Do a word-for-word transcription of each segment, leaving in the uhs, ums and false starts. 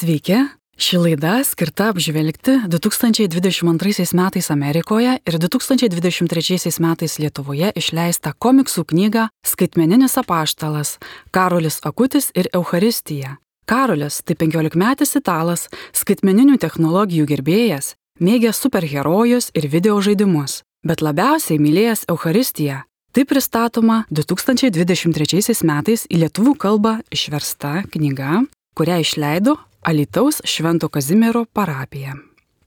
Sveiki, ši laida skirta apžvelgti du tūkstančiai dvidešimt antraisiais metais Amerikoje ir du tūkstančiai dvidešimt trečiaisiais metais Lietuvoje išleistą komiksų knygą Skaitmeninis apaštalas – Karolis Akutis ir Eucharistija. Karolis tai penkiolikmetis italas, skaitmeninių technologijų gerbėjas, mėgęs superherojus ir video žaidimus, bet labiausiai mylėjęs Eucharistiją. Tai pristatoma du tūkstančiai dvidešimt trečiaisiais metais į lietuvių kalbą išversta knyga, kurią išleido Alytaus Švento Kazimiero parapija.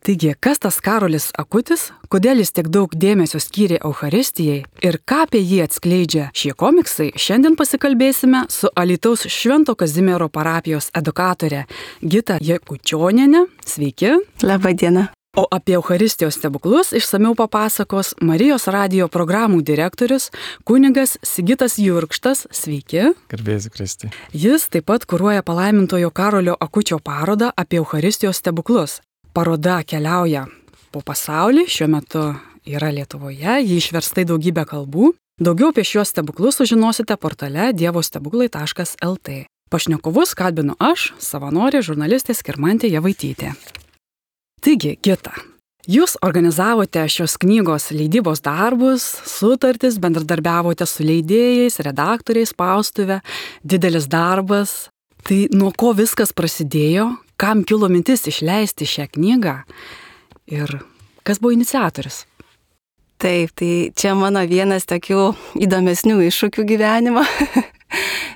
Taigi, kas tas Karolis Akutis, kodėl jis tiek daug dėmesio skyrė Eucharistijai ir ką apie jį atskleidžia šie komiksai, šiandien pasikalbėsime su Alytaus Švento Kazimiero parapijos edukatore Gita Jakučioniene. Sveiki. Labą dieną. O apie Eucharistijos stebuklus išsamiau papasakos Marijos radijo programų direktorius kunigas Sigitas Jurkštas. Sveiki. Garbėsiu Kristui. Jis taip pat kuruoja palaimintojo Karolio Akučio parodą apie Eucharistijos stebuklus. Paroda keliauja po pasaulį, šiuo metu yra Lietuvoje, ji išversta į daugybę kalbų. Daugiau apie šiuos stebuklus sužinosite portale dievostebuklai taškas lt. Pašnekovus kalbinu aš, savanorė žurnalistė Skirmantė Javaitytė. Taigi, Gita, jūs organizavote šios knygos leidybos darbus, sutartis, bendradarbiavote su leidėjais, redaktoriais, spaustuvė, didelis darbas. Tai nuo ko viskas prasidėjo, kam kilo mintis išleisti šią knygą ir kas buvo iniciatorius? Taip, tai čia mano vienas tokių įdomesnių iššūkių gyvenimo.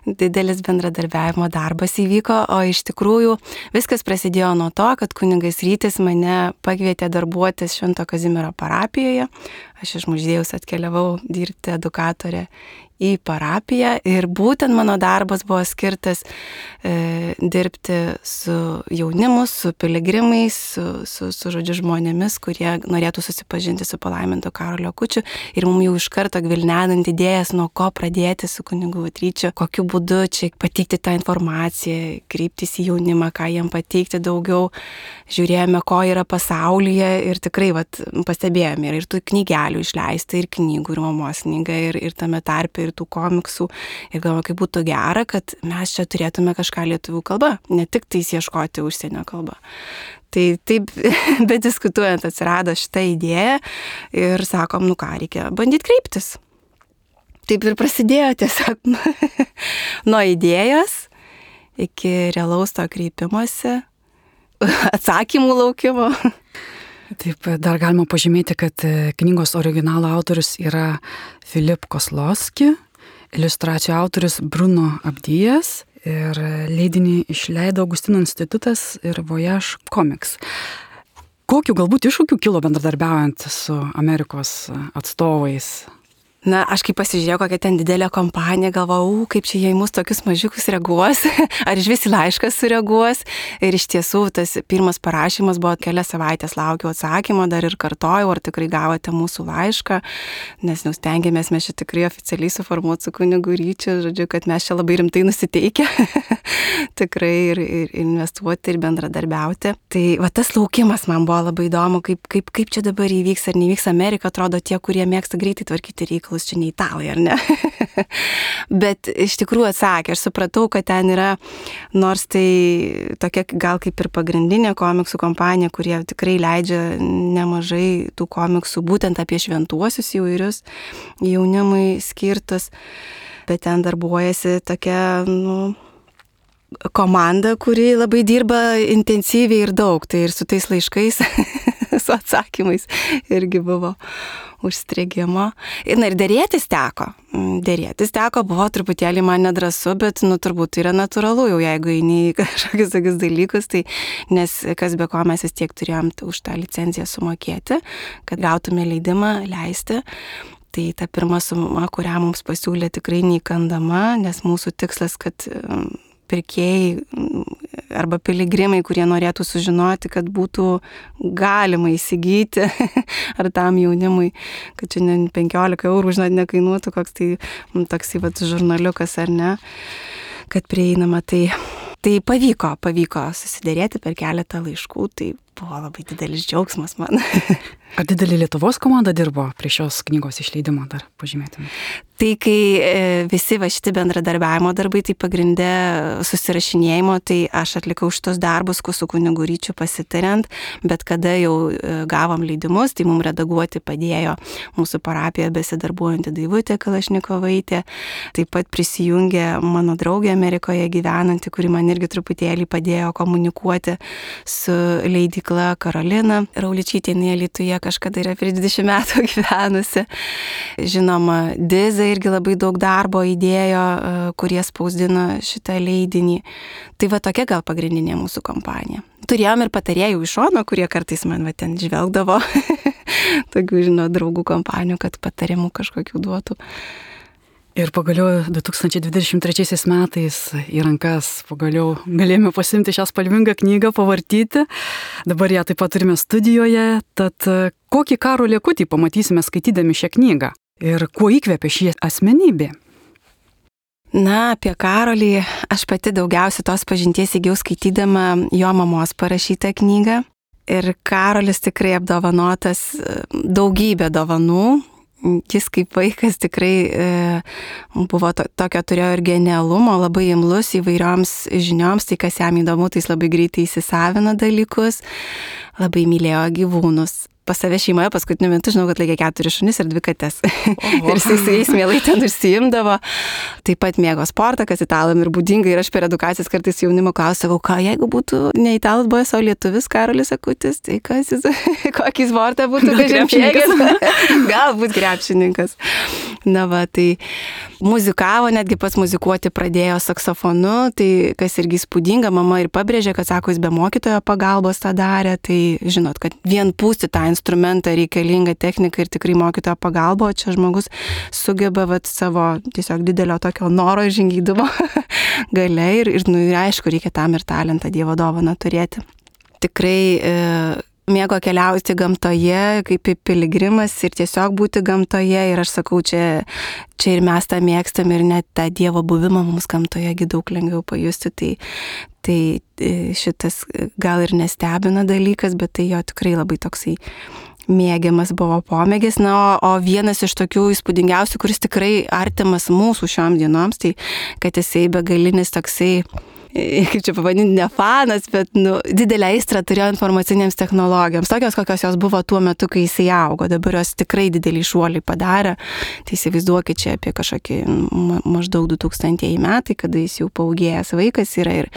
Didelis bendradarbiavimo darbas įvyko, o iš tikrųjų viskas prasidėjo nuo to, kad kunigas Rytis mane pakvietė darbuotis Švento Kazimiero parapijoje. Aš iš Muždėjaus atkeliavau dirbti edukatorę į parapiją ir būtent mano darbas buvo skirtas e, dirbti su jaunimu, su piligrimais, su, su, su žodžiu žmonėmis, kurie norėtų susipažinti su palaimintu Karoliu Akučiu ir mums jau iš karto gvildenant idėjas, nuo ko pradėti su kunigu Ryčiu, kokiu būdu čia pateikti tą informaciją, kreiptis į jaunimą, ką jiem pateikti daugiau. Žiūrėjome, ko yra pasaulyje ir tikrai vat, pastebėjome ir tų knygelių išleista, ir knygų, ir mamos knyga, ir, ir tame tarpe, ir tų komiksų. Ir galvoju, kaip būtų gera, kad mes čia turėtume kažką lietuvių kalba, ne tik tais ieškoti užsienio kalbą. Tai taip, bediskutuojant atsirado šitą idėją ir sakom, nu ką, reikia bandyti kreiptis. Taip ir prasidėjo tiesiog nuo idėjos iki realaus to kreipimosi, atsakymų laukimo. Taip, dar galima pažymėti, kad knygos originalo autorius yra Filip Koslovski, iliustracijų autorius Bruno Abdijas ir leidinį išleido Augustino institutas ir Voyage Comics. Kokiu galbūt iššūkiu kilo bendradarbiaujant su Amerikos atstovais? Na, aš kai pasižiūrėjau, kokia ten didelė kompanija, galvojau, kaip čia jie į mus tokius mažiukus reaguos, ar iš vis į laišką sureaguos. Ir iš tiesų, tas pirmas parašymas buvo kelias savaitės laukiau atsakymo, dar ir kartojau, ar tikrai gavote mūsų laišką, nes jau stengiamės mes čia tikrai oficialiai suformuoti su kunigu Ryčiu, žodžiu, kad mes čia labai rimtai nusiteikę, tikrai ir, ir investuoti ir bendradarbiauti. Tai va tas laukimas man buvo labai įdomu, kaip, kaip, kaip čia dabar įvyks ar nevyks. Amerika atrodo tie, kurie mėgsta greitai tvarkyti reikalus. Čia ne italai, ar ne? Bet iš tikrųjų atsakė, aš supratau, kad ten yra, nors tai tokia gal kaip ir pagrindinė komiksų kompanija, kurie tikrai leidžia nemažai tų komiksų būtent apie šventuosius įvairius jaunimui skirtus, bet ten darbuojasi tokia, nu, komanda, kuri labai dirba intensyviai ir daug, tai ir su tais laiškais, su atsakymais irgi buvo užstrigimo. Ir, na, ir dėrėtis teko. Dėrėtis teko, buvo truputėlį man nedrąsu, bet, nu, turbūt tai yra natūralu, jau jeigu eini į kažkokius tokius dalykus, tai, nes kas be ko mes vis tiek turėjom už tą licenciją sumokėti, kad gautume leidimą leisti. Tai ta pirma suma, kurią mums pasiūlė, tikrai neįkandama, nes mūsų tikslas, kad pirkėjai arba piligrimai, kurie norėtų sužinoti, kad būtų galima įsigyti ar tam jaunimui, kad čia ne penkiolika eurų, žinot, nekainuotų koks tai toksai vat žurnaliukas ar ne, kad prieinama. Tai, tai pavyko, pavyko susidėrėti per keletą laiškų, tai buvo labai didelis džiaugsmas man. Ar didelė Lietuvos komanda dirbo prie šios knygos išleidimo, dar pažymėtume? Tai kai visi va šitie bendradarbiavimo darbai, tai pagrindė susirašinėjimo, tai aš atlikau šitos darbus su kunigu Ryčiu pasitariant, bet kada jau gavom leidimus, tai mums redaguoti padėjo mūsų parapijoje besidarbuojanti Daivutė Kalašnikovaitė, taip pat prisijungė mano draugė Amerikoje gyvenanti, kuri man irgi truputėlį padėjo komunikuoti su leidykla Karolina Rauličytė, jinai Alytuje kažkada yra prieš dvidešimt metų gyvenusi. Žinoma, Diza irgi labai daug darbo įdėjo, kurie spausdino šitą leidinį. Tai va tokia gal pagrindinė mūsų kompanija. Turėjom ir patarėjų iš šono, kurie kartais man va ten žvelgdavo, tokių, žinau, draugų kompanijų, kad patarimų kažkokių duotų. Ir pagaliau du tūkstančiai dvidešimt trečiaisiais metais į rankas pagaliau galėjome pasimti šią spalvingą knygą, pavartyti. Dabar ją taip pat turime studijoje. Tad kokį Karolį Akutį pamatysime skaitydami šią knygą? Ir kuo įkvėpė šį asmenybę? Na, apie Karolį aš pati daugiausiai tos pažinties įgijau skaitydama jo mamos parašytą knygą. Ir Karolis tikrai apdovanotas daugybę dovanų. Jis kaip vaikas tikrai e, buvo to, tokio turėjo ir genialumo, labai imlus įvairioms žinioms, tai kas jam įdomu, tai jis labai greitai įsisavino dalykus, labai mylėjo gyvūnus. Pas save šeimoje paskutiniu metu žinau, kad laikė keturis šunis ir dvi kates. Ir jis su jais mielai ten užsiimdavo. Taip pat mėgo sportą, kas italam ir būdinga. Ir aš per edukacijas kartais jaunimo klausau, ką jeigu būtų ne italas buvęs, o lietuvis Karolis Akutis, tai kas jis, kokį sportą būtų krepšininkas? Galbūt krepšininkas. Na va, tai muzikavo, netgi pats muzikuoti pradėjo saksofonu, tai kas irgi įspūdinga, mama ir pabrėžė, kad sako, jis be mokytojo pagalbos tą darė, tai žinot, kad vien pūsti tą instrumentą reikalinga technika ir tikrai mokytojo pagalba, o čia žmogus sugeba vat, savo tiesiog didelio tokio noro ir žingeidumo galia ir, ir, nu, ir aišku, reikia tam ir talentą, Dievo dovaną turėti. Tikrai e, mėgo keliauti gamtoje, kaip piligrimas ir tiesiog būti gamtoje ir aš sakau, čia, čia ir mes tą mėgstam ir net tą Dievo buvimą mums gamtoje daug lengviau pajusti, tai, tai šitas gal ir nestebina dalykas, bet tai jo tikrai labai toksai mėgiamas buvo pomėgis. Na, o, o vienas iš tokių įspūdingiausių, kuris tikrai artimas mūsų šiom dienoms, tai kad jisai begalinis toksai, kaip čia pavadinti, ne fanas, bet nu, didelę aistrą turėjo informacinėms technologijoms, tokios, kokios jos buvo tuo metu, kai jisai augo. Dabar jos tikrai didelį šuolį padarė. Tai įsivaizduokit čia apie kažkokį ma maždaug du tūkstantieji metai, kada jis jau paugėjęs vaikas yra ir,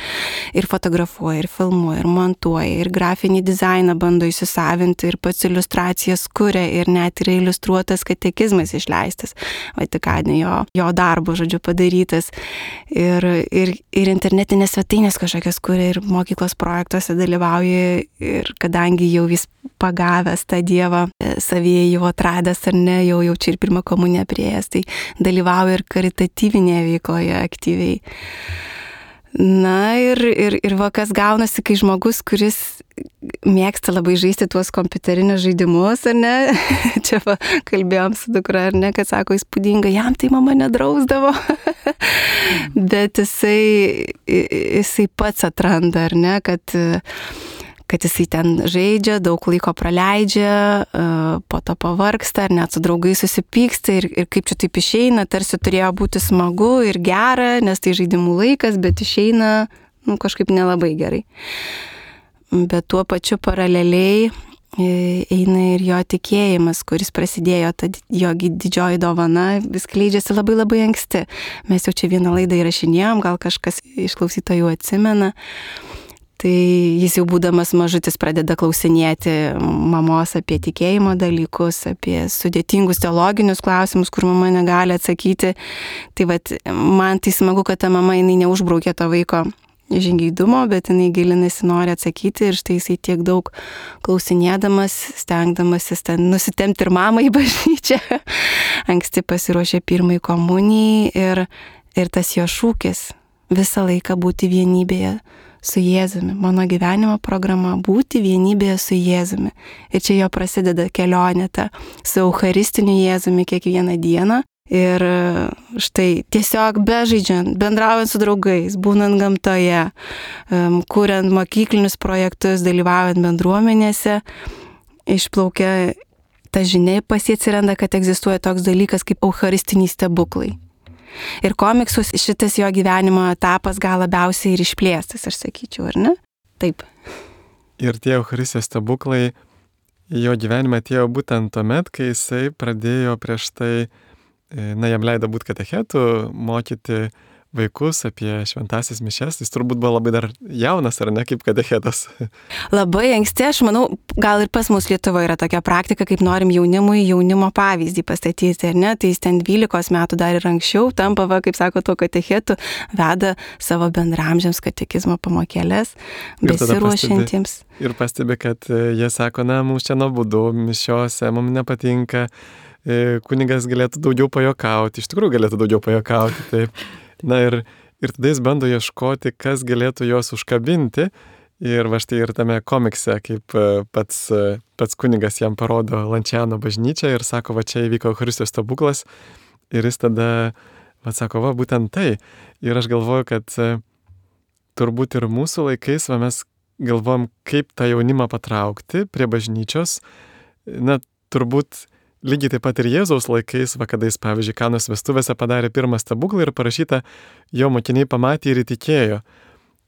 ir fotografuoja, ir filmuoja, ir montuoja, ir grafinį dizainą bando įsisavinti, ir pats iliustracijas kuria, ir net yra iliustruotas katekizmas išleistas, Vatikane jo, jo darbo, žodžiu, padarytas. Ir, ir, ir internetinė svetainės kažkokias, kuria ir mokyklos projektuose dalyvauja ir kadangi jau vis pagavęs tą Dievą, savyje jau atradęs ar ne, jau jau čia ir pirmą komuniją priėjęs, tai dalyvauja ir karitatyvinėje veikloje aktyviai. Na ir, ir, ir va kas gaunasi, kai žmogus, kuris mėgsta labai žaisti tuos kompiuterinius žaidimus, ar ne, čia va, kalbėjom su dukra, ar ne, kad sako įspūdinga, jam tai mama nedrausdavo, bet jisai, jisai pats atranda, ar ne, kad kad jisai ten žaidžia, daug laiko praleidžia, po to pavargsta, ar net su draugais susipyksta ir, ir kaip čia taip išeina, tarsi turėjo būti smagu ir gera, nes tai žaidimų laikas, bet išeina nu, kažkaip nelabai gerai. Bet tuo pačiu paraleliai eina ir jo tikėjimas, kuris prasidėjo, ta jo didžioji dovana, vis kleidžiasi labai labai anksti. Mes jau čia vieną laidą įrašinėjom, gal kažkas iš klausytojų atsimena. Tai jis jau būdamas mažutis pradeda klausinėti mamos apie tikėjimo dalykus, apie sudėtingus teologinius klausimus, kur mama negali atsakyti. Tai vat, man tai smagu, kad ta mama jinai neužbraukė to vaiko žingeidumo, bet jinai gilinasi, nori atsakyti ir štai jisai tiek daug klausinėdamas, stengdamasis ten nusitempti ir mamą į bažnyčią. Anksti pasiruošė pirmai komunijai ir, ir tas jo šūkis visą laiką būti vienybėje su Jėzumi. Mano gyvenimo programa būti vienybėje su Jėzumi. Ir čia jo prasideda kelionė ta su Eucharistiniu Jėzumi kiekvieną dieną. Ir štai tiesiog bežaidžiant, bendraujant su draugais, būnant gamtoje, kuriant mokyklinius projektus, dalyvaujant bendruomenėse, išplaukia ta žinia, pas jį atsiranda, kad egzistuoja toks dalykas kaip eucharistiniai stebuklai. Ir komiksus šitas jo gyvenimo etapas gal labiausiai ir išplėstas, aš sakyčiau, ar ne? Taip. Ir tie eucharistijos stebuklai jo gyvenime atėjo būtent tuomet, kai jisai pradėjo prieš tai, na, jam leido būti katechetu, mokyti vaikus apie šventąsias mišias. Jis turbūt buvo labai dar jaunas, ar ne, kaip katechetas. Labai anksti, aš manau, gal ir pas mus Lietuvoje yra tokia praktika, kaip norim jaunimui jaunimo pavyzdį pastatyti, ar ne? Tai jis ten dvylikos metų dar ir anksčiau tampa, va, kaip sako, to katechetu, veda savo bendramžiams katekizmo pamokėlės, besiruošiantiems. Ir pastebi, kad jie sako, na, mums čia nuobodu, mišiose, mums nepatinka, kunigas galėtų daugiau pajokauti, iš tikrųjų galėtų daugiau pajokauti, taip. Na ir, ir tada jis bando ieškoti, kas galėtų juos užkabinti. Ir va štai ir tame komikse, kaip pats, pats kunigas jam parodo Lančiano bažnyčią ir sako, va čia įvyko Eucharistijos stebuklas. Ir jis tada, va sako, va būtent tai. Ir aš galvoju, kad turbūt ir mūsų laikais, va mes galvojam, kaip tą jaunimą patraukti prie bažnyčios. Na, turbūt lygiai taip pat ir Jėzaus laikais, va kada jis, pavyzdžiui, Kanos vestuvėse padarė pirmą stebuklą ir parašyta, jo mokiniai pamatė ir įtikėjo.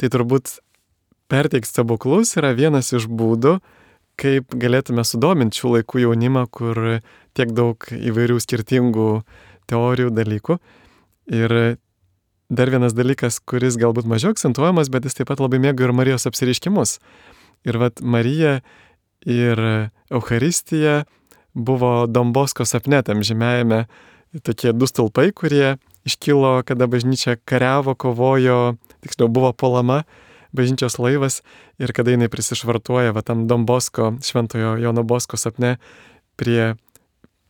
Tai turbūt perteikti stebuklus yra vienas iš būdų, kaip galėtume sudominti šių laikų jaunimą, kur tiek daug įvairių skirtingų teorijų, dalykų. Ir dar vienas dalykas, kuris galbūt mažiau akcentuojamas, bet jis taip pat labai mėgo ir Marijos apsireiškimus. Ir vat Marija ir Eucharistija buvo Don Bosko sapne, tam žymėjame tokie du stulpai, kurie iškilo, kada bažnyčia kariavo, kovojo, tiksliau buvo puolama bažnyčios laivas ir kada jinai prisišvartuoja va tam Don Bosko, šventojo Jono Bosko sapne prie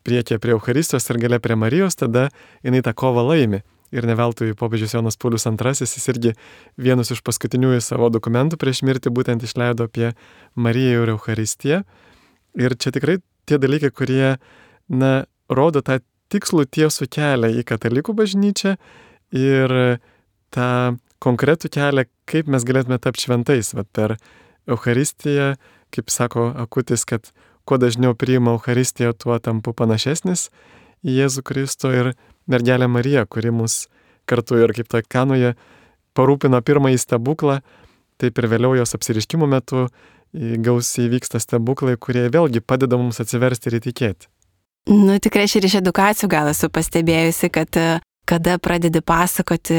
priekyje prie Eucharistijos ir gale prie Marijos, tada jinai tą kovą laimi. Ir ne veltui popiežius Jonas Paulius antrasis, jis irgi vienus iš paskutiniųjų savo dokumentų prieš mirtį būtent išleido apie Mariją ir Eucharistiją. Ir čia tikrai tie dalykai, kurie, na, rodo tą tikslų tiesų kelią į katalikų bažnyčią ir tą konkretų kelią, kaip mes galėtume tapti šventais. Vat per Eucharistiją, kaip sako Akutis, kad kuo dažniau priima Eucharistiją, tuo tampu panašesnis į Jėzų Kristų ir mergelę Mariją, kuri mus kartu ir kaip toj Kanoje parūpino pirmąjį stebuklą, taip ir vėliau jos apsireiškimų metu gausiai vyksta stebuklai, kurie vėlgi padeda mums atsiversti ir įtikėti. Nu, tikrai aš ir iš edukacijų gal esu pastebėjusi, kad kada pradedi pasakoti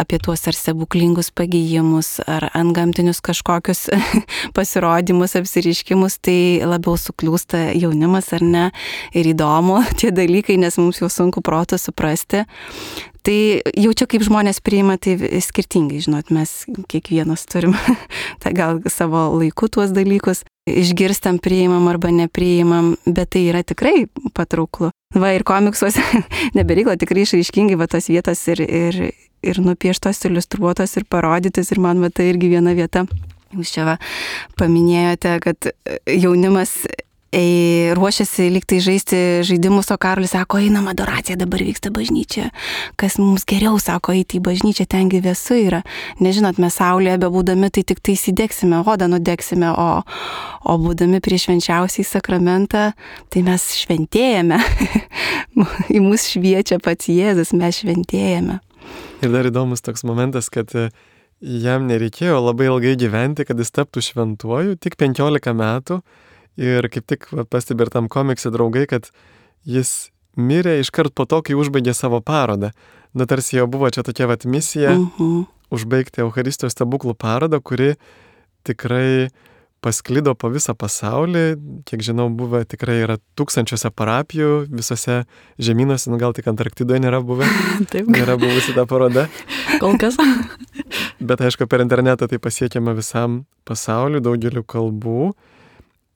apie tuos ar stebuklingus pagijimus, ar antgamtinius kažkokius pasirodymus, apsireiškimus, tai labiau sukliūsta jaunimas, ar ne, ir įdomu tie dalykai, nes mums jau sunku proto suprasti. Tai jaučiu, kaip žmonės priima, tai skirtingai, žinot, mes kiekvienas turim tai gal savo laiku tuos dalykus, išgirstam, priimam arba nepriimam, bet tai yra tikrai patrauklu. Va ir komiksuose nebereikla tikrai išraiškingai va tos vietos ir, ir, ir nupieštos, iliustruotos ir parodytis ir man va tai irgi viena vieta. Jūs čia va paminėjote, kad jaunimas Ei, ruošiasi lygtai žaisti žaidimus, o Karolis sako, einam, adoracija dabar vyksta bažnyčia. Kas mums geriau, sako, eiti į bažnyčią, tengi vėsu yra. Nežinot, mes saulėje bebūdami, tai tik tai įsidegsime, odą nudegsime, o, o būdami prieš švenčiausiai sakramentą, tai mes šventėjame. Į mus šviečia pats Jėzus, mes šventėjame. Ir dar įdomus toks momentas, kad jam nereikėjo labai ilgai gyventi, kad jis taptų šventuoju, tik penkiolika metų. Ir kaip tik pastebi ir tam komikse draugai, kad jis mirė iškart po to, kai užbaigė savo parodą. Na, tarsi jau buvo čia tokia vat misija uh-huh. užbaigti Eucharistijos stebuklų parodą, kuri tikrai pasklido po visą pasaulį. Kiek žinau, buvo tikrai yra tūkstančiuose parapijų, visose žemynuose, nu gal tik Antarktidoje nėra buvę. Taip. Nėra buvusi ta paroda. Kol kas. Bet aišku, per internetą tai pasiekiama visam pasauliu, daugeliu kalbų.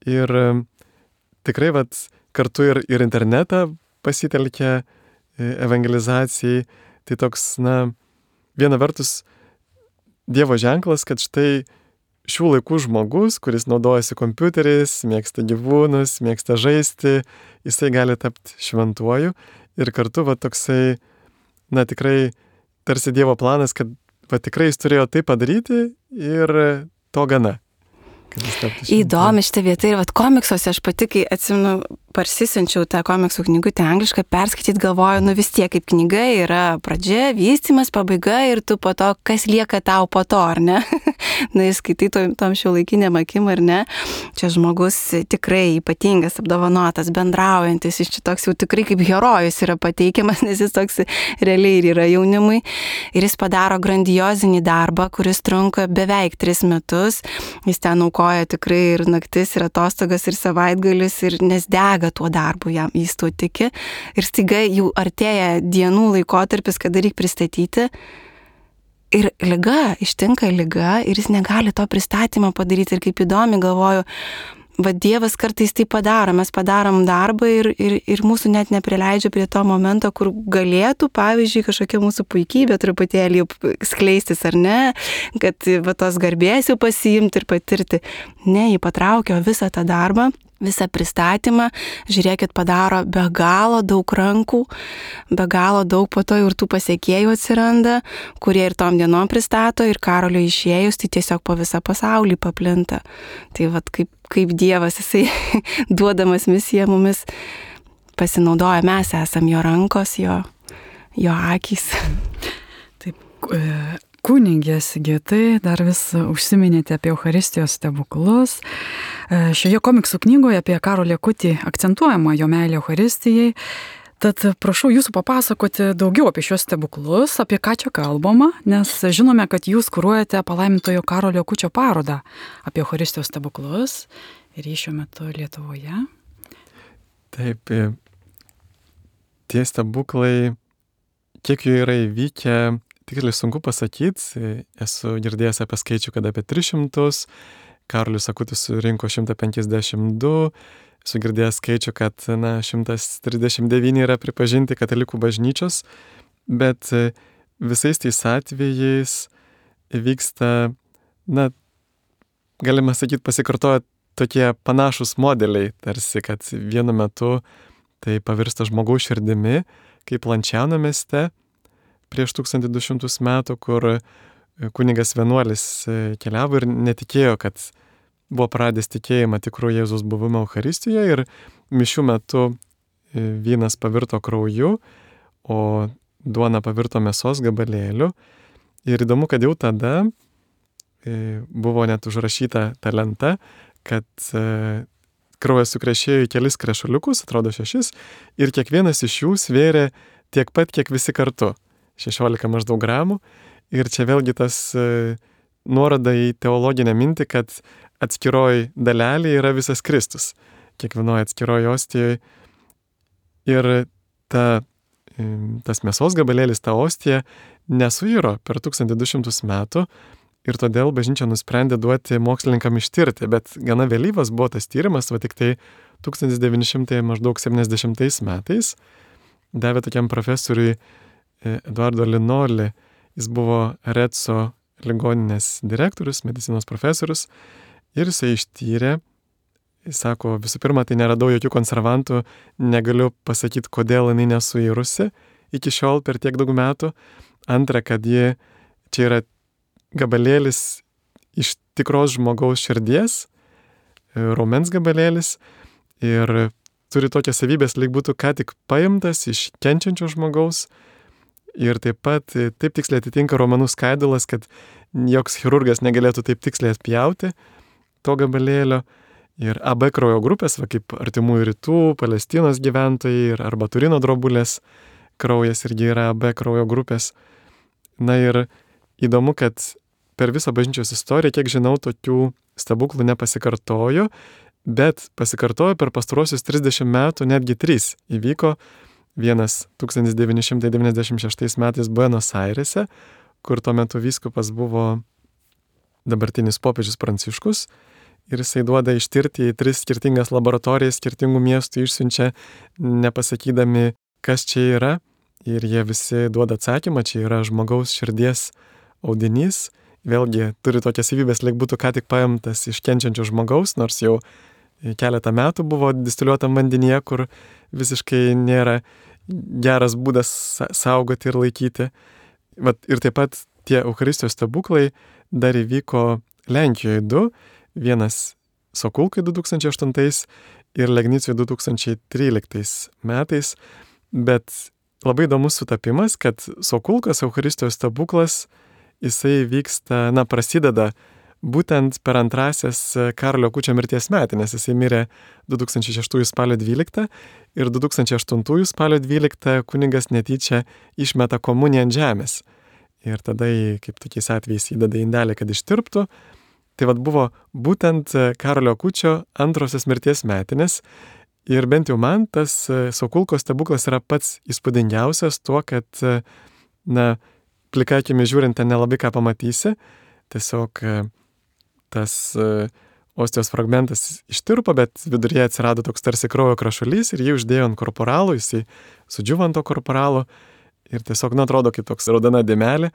Ir tikrai vat, kartu ir, ir internetą pasitelkia evangelizacijai. Tai toks, na, viena vertus Dievo ženklas, kad štai šių laikų žmogus, kuris naudojasi kompiuteriais, mėgsta gyvūnus, mėgsta žaisti, jisai gali tapti šventuoju. ir kartu va toksai, na tikrai tarsi Dievo planas, kad va tikrai jis turėjo tai padaryti ir to gana. Įdomi šitą vietą ir vat komiksuose aš pati, kai atsimenu, parsisinčiau tą komiksų knygutę anglišką, perskaityti galvoju, nu vis tiek kaip knyga yra pradžia, vystymas, pabaiga ir tu po to, kas lieka tau po to, ar ne? Na, jis skaitai tom, tom šiuolaikiniam akim, ar ne? Čia žmogus tikrai ypatingas, apdovanotas, bendraujantis, jis čia toks jau tikrai kaip herojus yra pateikiamas, nes jis toks realiai ir yra jaunimui. Ir jis padaro grandiozinį darbą, kuris trunka beveik tris metus. Jis ten aukoja tikrai ir naktis, ir atostogas, ir savaitgalis, ir nes dega tuo darbu, jam jis tuo tiki. Ir staiga jau artėja dienų laikotarpis, kada reikia pristatyti. Ir liga, ištinka liga ir jis negali to pristatymą padaryti. Ir kaip įdomi, galvoju, va Dievas kartais tai padaro, mes padarom darbą ir, ir, ir mūsų net neprileidžia prie to momento, kur galėtų, pavyzdžiui, kažkokia mūsų puikybė truputėlį skleistis, ar ne, kad va tos garbės jau pasiimti ir patirti. Ne, jį patraukė visą tą darbą, visą pristatymą, žiūrėkit, padaro be galo daug rankų, be galo daug po to ir tų pasiekėjų atsiranda, kurie ir tom dienom pristato ir Karolio išėjus, tai tiesiog po visą pasaulį paplinta. Tai vat kaip, kaip Dievas, jisai duodamas misiją mumis pasinaudoja, mes esam jo rankos, jo, jo akys. Taip, kunigė Sigitai, dar vis užsiminėte apie Eucharistijos stebuklus. Šioje komiksų knygoje apie Karolį Akutį akcentuojama jo meilė Eucharistijai. Tad prašau jūsų papasakoti daugiau apie šios stebuklus, apie ką čia kalbama, nes žinome, kad jūs kuruojate palaimintojo Karolio Akučio parodą apie Eucharistijos stebuklus ir jį šiuo metu Lietuvoje. Taip, tie stebuklai, kiek jų yra įvykę, tikrai sunku pasakyti. Esu girdėjęs apie skaičių, kad apie tris šimtus, Karolis Akutis surinko šimtą penkiasdešimt du, esu girdėjęs skaičių, kad na, šimtas trisdešimt devyni yra pripažinti katalikų bažnyčios, bet visais tais atvejais vyksta, na, galima sakyti, pasikartoja tokie panašus modeliai, tarsi, kad vienu metu tai pavirsta žmogaus širdimi, kaip Lančiano mieste prieš tūkstantį du šimtus metų, kur kunigas vienuolis keliavo ir netikėjo, kad buvo pradės tikėjimą tikrų Jėzus buvimo Eucharistijoje ir mišių metu vynas pavirto krauju, o duona pavirto mėsos gabalėliu. Ir įdomu, kad jau tada buvo net užrašyta ta lenta, kad kraujas sukrešėjo į kelis krešuliukus, atrodo šešis, ir kiekvienas iš jų svėrė tiek pat, kiek visi kartu. šešiolika maždaug gramų. Ir čia vėlgi tas e, nuoroda į teologinę mintį, kad atskiroj dalelė yra visas Kristus. Kiekvienoje atskiroj ostijoje. Ir ta, e, tas mėsos gabalėlis, ta ostija, nesuiro per tūkstantį du šimtus metų ir todėl bažnyčia nusprendė duoti mokslininkam ištirti. Bet gana vėlyvas buvo tas tyrimas, va tik tai tūkstantis devyni šimtai septyniasdešimtais metais davė tokiam profesoriui Eduardo Linoli. Jis buvo Retso ligoninės direktorius, medicinos profesorius ir jisai ištyrė, jis sako, visų pirma, tai neradau jokių konservantų, negaliu pasakyti, kodėl jinai nesuirusi iki šiol per tiek daug metų. Antra, kad ji, čia yra gabalėlis iš tikros žmogaus širdies, raumens gabalėlis ir turi tokias savybės, lyg būtų ką tik paimtas iš kenčiančio žmogaus. Ir taip pat taip tiksliai atitinka raumenų skaidulas, kad joks chirurgas negalėtų taip tiksliai atpjauti to gabalėlio. Ir A B kraujo grupės, va, kaip artimųjų rytų, Palestinos gyventojai ir arba Turino drobulės kraujas irgi yra A B kraujo grupės. Na ir įdomu, kad per visą bažnyčios istoriją, kiek žinau, tokių stebuklų nepasikartojo, bet pasikartojo per pastarosius trisdešimt metų netgi trys įvyko. Vienas tūkstantis devyni šimtai devyniasdešimt šeštais metais Buenos Airėse, kur tuo metu vyskupas buvo dabartinis popiežius Pranciškus ir jisai duoda ištirti į tris skirtingas laboratorijas skirtingų miestų, išsiunčia nepasakydami, kas čia yra ir jie visi duoda atsakymą, čia yra žmogaus širdies audinys, vėlgi turi tokias savybės, lyg būtų ką tik paimtas iš kenčiančio žmogaus, nors jau keletą metų buvo distiliuotam vandenyje, kur visiškai nėra geras būdas saugoti ir laikyti. Vat, ir taip pat tie Eucharistijos stebuklai dar įvyko Lenkijoje du, vienas Sokulkai du tūkstančiai aštuntais ir Legnicijoj du tūkstančiai tryliktais metais, bet labai įdomus sutapimas, kad Sokulkos Eucharistijos stebuklas, jisai vyksta, na, prasideda būtent per antrasias Karolio Akučio mirties metinės. Jisai mirė du tūkstančiai šeštųjų spalio dvyliktą ir du tūkstančiai aštuntųjų spalio dvyliktą kunigas netyčia išmeta komuniją ant žemės. Ir tada, kaip tokiais atvejais, įdeda indelį, kad ištirptų. Tai vad buvo būtent Karolio Akučio antrosios mirties metinės. Ir bent jau man tas Sokulkos stebuklas yra pats įspūdingiausias tuo, kad, na, plika akimi žiūrint, ten nelabai ką pamatysi. Tiesiog tas ostijos fragmentas ištirpo, bet viduryje atsirado toks tarsi kraujo krašulys ir jį uždėjo ant korporalo, jisai sudžiuvo ant to korporalo ir tiesiog, na, atrodo kaip toks raudona dėmelė,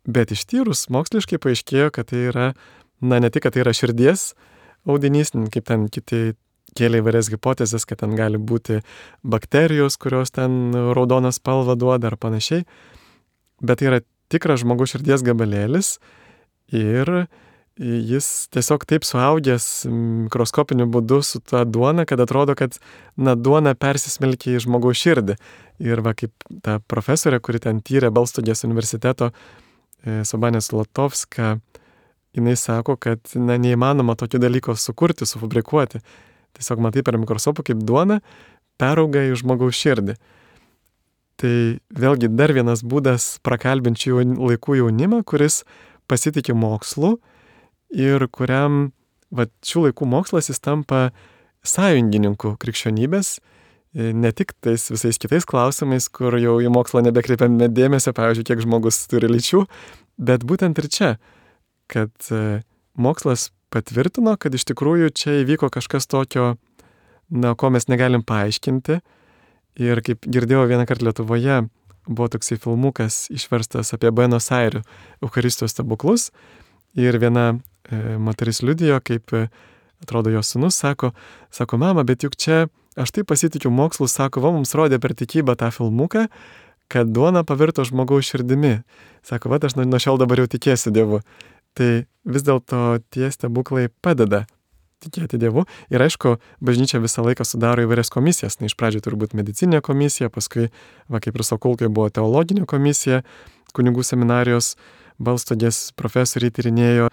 bet ištyrus moksliškai paaiškėjo, kad tai yra, na, ne tik, kad tai yra širdies audinys, kaip ten kiti kėlė įvairias hipotezes, kad ten gali būti bakterijos, kurios ten raudoną spalvą duoda ar panašiai, bet tai yra tikras žmogaus širdies gabalėlis ir jis tiesiog taip suaugęs mikroskopiniu būdu su ta duona, kad atrodo, kad, na, duona persismelkia į žmogaus širdį. Ir va, kaip ta profesorė, kuri ten tyrė Balstogės universiteto, Sobanė Zlotovska, jinai sako, kad, na, neįmanoma tokio dalyko sukurti, sufabrikuoti. Tiesiog matai per mikroskopą, kaip duona perauga į žmogaus širdį. Tai vėlgi dar vienas būdas prakalbinti laikų jaunimą, kuris pasitikė mokslu ir kuriam, va, šių laikų mokslas jis tampa sąjungininku krikščionybės, ne tik tais visais kitais klausimais, kur jau į mokslą nebekreipiame dėmesio, pavyzdžiui, kiek žmogus turi lyčių, bet būtent ir čia, kad mokslas patvirtino, kad iš tikrųjų čia įvyko kažkas tokio, na, ko mes negalim paaiškinti. Ir kaip girdėjau vieną kartą Lietuvoje, buvo toksai filmukas išverstas apie Buenos Airių Eucharistijos stebuklus. Ir viena e, moteris liudijo, kaip, e, atrodo, jos sūnus sako, sako, mama, bet juk čia aš taip pasitikiu mokslu, sako, va, mums rodė per tikybą tą filmuką, kad duona pavirto žmogaus širdimi. Sako, va, aš nuo šiol dabar jau tikėsiu Dievu. Tai vis dėlto tie stebuklai padeda tikėti Dievu. Ir aišku, bažnyčia visą laiką sudaro įvairias komisijas. Na, iš pradžių turbūt medicininė komisija, paskui, va, kaip ir Sokulkai, buvo teologinė komisija, kunigų seminarijos Balstogės profesoriai tyrinėjo,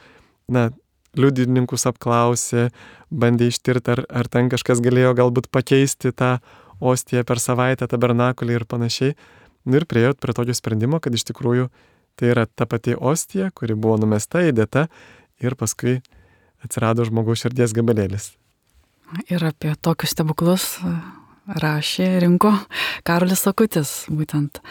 na, liudininkus apklausė, bandė ištirti, ar, ar ten kažkas galėjo galbūt pakeisti tą ostiją per savaitę, tabernakulį ir panašiai. Ir priėjo prie tokio sprendimo, kad iš tikrųjų tai yra ta pati ostija, kuri buvo numesta, įdėta ir paskui atsirado žmogaus širdies gabalėlis. Ir apie tokius stebuklus rašė, rinko Karolis Akutis, būtent.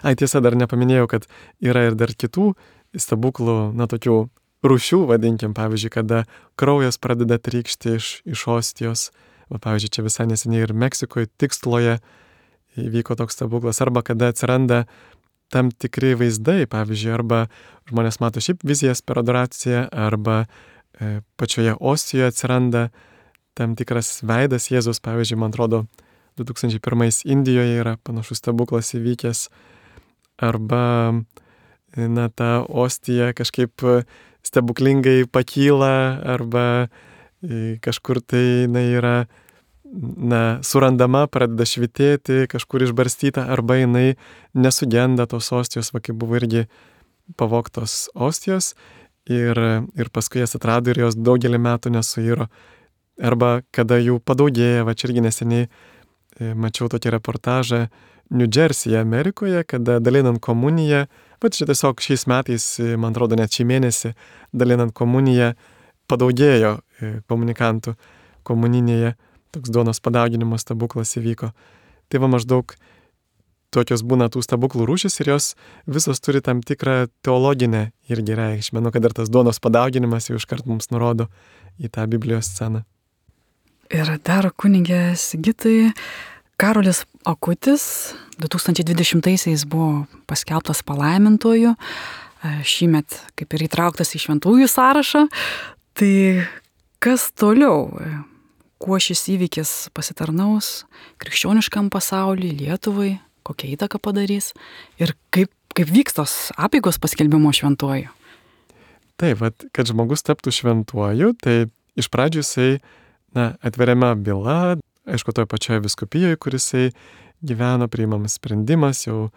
Ai, tiesa, dar nepaminėjau, kad yra ir dar kitų stebuklų, na, tokių rūšių, vadinkim, pavyzdžiui, kada kraujas pradeda trykšti iš, iš ostijos. Va, pavyzdžiui, čia visai neseniai ir Meksikoje, Tikstloje įvyko toks stebuklas, arba kada atsiranda tam tikri vaizdai, pavyzdžiui, arba žmonės mato šiaip vizijas per adoraciją, arba e, pačioje ostijoje atsiranda tam tikras veidas Jėzus, pavyzdžiui, man atrodo, du tūkstančiai pirmais Indijoje yra panašus stebuklas įvykęs, arba, na, ta ostija kažkaip stebuklingai pakyla, arba kažkur tai, na, yra, na, surandama, pradeda švitėti, kažkur išbarstyta, arba jinai nesugenda tos ostijos, va, kaip buvo irgi pavogtos ostijos, ir, ir paskui jas atrado ir jos daugelį metų nesuiro. Arba kada jų padaugėja, va, čia irgi neseniai e, mačiau tokį reportažą New Jersey'e, Amerikoje, kada dalinant komuniją, va, čia tiesiog šiais metais, man atrodo, net šį mėnesį, dalinant komuniją, padaugėjo e, komunikantų komuninėje, toks duonos padauginimo stebuklas įvyko. Tai va, maždaug tokios būna tų stebuklų rūšis ir jos visos turi tam tikrą teologinę irgi reikšmę. Nu, kad ir tas duonos padauginimas jau iškart mums nurodo į tą Biblijos sceną. Ir dar kunigė Sigitai, Karolis Akutis du tūkstančiai dvidešimtaisiais buvo paskelbtas palaimintuoju, šįmet kaip ir įtrauktas į šventųjų sąrašą. Tai kas toliau? kuo šis įvykis pasitarnaus krikščioniškam pasauliui, Lietuvai, kokią įtaką padarys ir kaip, kaip vyks tos apeigos paskelbimo šventuoju. Taip, vat, kad žmogus taptų šventuoju, tai iš pradžių jisai na, atveriama byla, aišku, toje pačioje vyskupijoje, kuris jisai gyveno, priimamas sprendimas jau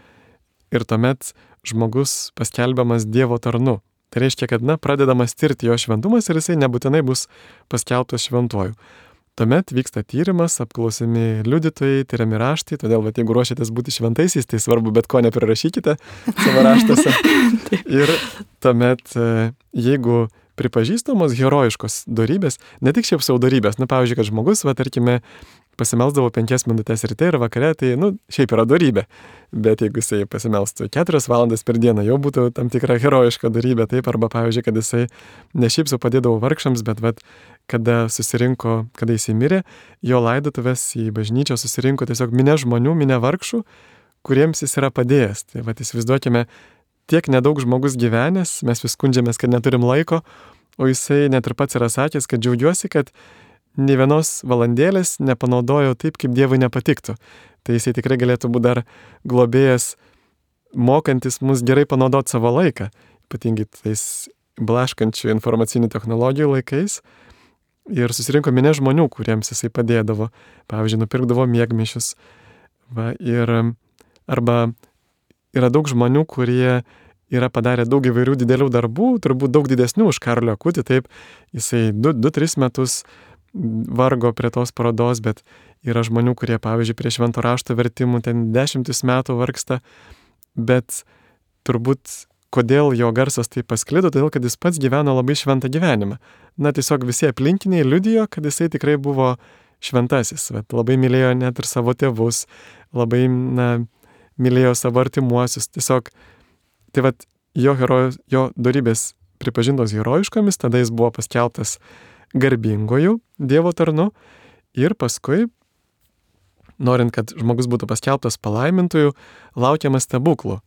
ir tuomet žmogus paskelbiamas Dievo tarnu. Tai reiškia, kad na, pradedamas tirti jo šventumas ir jisai nebūtinai bus paskelbtas šventuoju. Tuomet vyksta tyrimas, apklausimi liudytojai, tyriami raštai, todėl va, jeigu ruošiatės būti šventaisiais, tai svarbu bet ko neprirašykite savo raštuose. Ir tuomet, jeigu pripažįstamos herojiškos dorybės, ne tik šiaip savo dorybės, na pavyzdžiui, kad žmogus, va, tarkime, pasimelsdavo penkias minutės ryte ir vakare, tai, nu, šiaip yra dorybė. Bet jeigu jisai pasimelstų keturias valandas per dieną, jau būtų tam tikra herojiška dorybė, taip, arba, pavyzdžiui, kad jisai ne šiaip su padėdavo vargšams, bet, vat, kada susirinko, kada jisai mirė, jo laidotuvės į bažnyčią susirinko tiesiog minė žmonių, minė vargšų, kuriems jis yra padėjęs. Tai, vat, įsivaizduokime, tiek nedaug žmogus gyvenęs, mes vis skundžiamės, kad neturim laiko, o jisai net ir pats yra sakęs, kad džiaugiuosi, kad nė vienos valandėlės nepanaudojo taip, kaip Dievui nepatiktų. Tai jisai tikrai galėtų būti dar globėjas, mokantis mus gerai panaudoti savo laiką, ypatingai tais blaškančių informacinių technologijų laikais. Ir susirinko minė žmonių, kuriems jisai padėdavo. Pavyzdžiui, nupirkdavo miegmaišius. Va, ir arba yra daug žmonių, kurie yra padarę daug įvairių didelių darbų, turbūt daug didesnių už Karolį Akutį, taip, jisai du tris metus vargo prie tos parodos, bet yra žmonių, kurie, pavyzdžiui, prie švento rašto vertimų ten dešimtis metų vargsta, bet turbūt kodėl jo garsas taip pasklido, todėl, kad jis pats gyveno labai šventą gyvenimą. Na, tiesiog visi aplinkiniai liudijo, kad jisai tikrai buvo šventasis, bet labai mylėjo net ir savo tėvus, labai, na, mylėjo savo artimuosius, tiesiog, tai vat, jo, hero, jo dorybės pripažintos herojiškomis, tada jis buvo paskelbtas garbingojų Dievo tarnu ir paskui, norint, kad žmogus būtų paskelbtas palaimintojų, laukiamas stebuklų.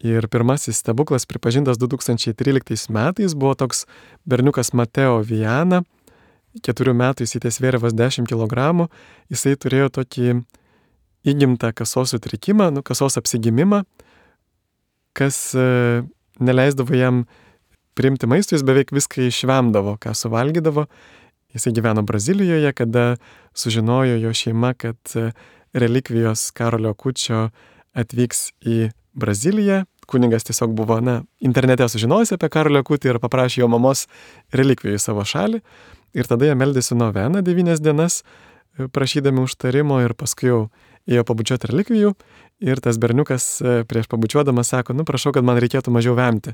Ir pirmasis stebuklas pripažintas du tūkstančiai tryliktais metais buvo toks berniukas Mateo Viana, keturių metų jis įtesvėrė vos dešimt kilogramų, jisai turėjo tokį įgimtą kasos sutrikimą, nu, kasos apsigimimą, kas e, neleisdavo jam priimti maistų, jis beveik viską išvemdavo, ką suvalgydavo. Jisai gyveno Brazilijoje, kada sužinojo jo šeima, kad relikvijos Karolio Akučio atvyks į Braziliją. Kunigas tiesiog buvo, na, internete sužinojęs apie Karolio Akutį ir paprašė jo mamos relikvijų į savo šalį. Ir tada jie meldėsi noveną devynias dienas, prašydami užtarimo ir paskui jau ėjo pabučiuoti relikvijų. Ir tas berniukas prieš pabučiuodamas sako, nu prašau, kad man reikėtų mažiau vemti.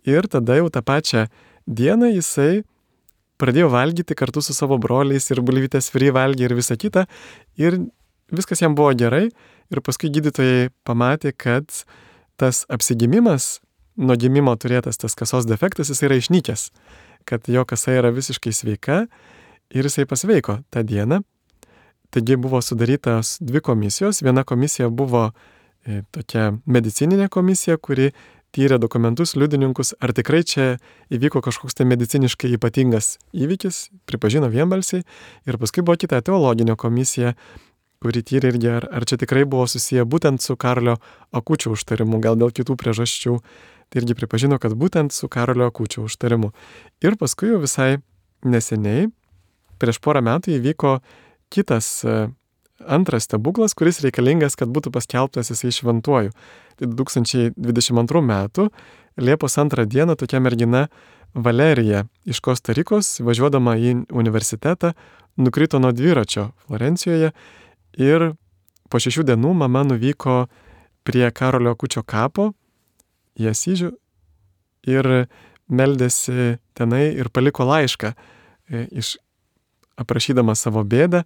Ir tada jau tą pačią dieną jisai pradėjo valgyti kartu su savo broliais ir bulvytės fry valgė ir visą kitą. Ir viskas jam buvo gerai. Ir paskui gydytojai pamatė, kad tas apsigimimas, nuo gimimo turėtas tas kasos defektas, jis yra išnykęs. Kad jo kasa yra visiškai sveika ir jisai pasveiko tą dieną. Taigi buvo sudarytas dvi komisijos. Viena komisija buvo e, tokia medicininė komisija, kuri tyrė dokumentus, liudininkus, ar tikrai čia įvyko kažkoks tai mediciniškai ypatingas įvykis, pripažino vienbalsiai. Ir paskui buvo kita teologinė komisija, kuri tyrė irgi, ar, ar čia tikrai buvo susiję būtent su Karolio Akučio užtarimu, gal dėl kitų priežasčių. Tai irgi pripažino, kad būtent su Karolio Akučio užtarimu. Ir paskui jau visai neseniai, prieš porą metų įvyko kitas antras stebuklas, kuris reikalingas, kad būtų paskelbtas jisai šventuoju. Tai du tūkstančiai dvidešimt antrų metų Liepos antrą dieną tokia mergina Valerija iš Kostarikos, važiuodama į universitetą, nukrito nuo dviračio Florencijoje ir po šešių dienų mama nuvyko prie Karolio Akučio kapo į Asyžių ir meldėsi tenai ir paliko laišką, iš, aprašydama savo bėdą.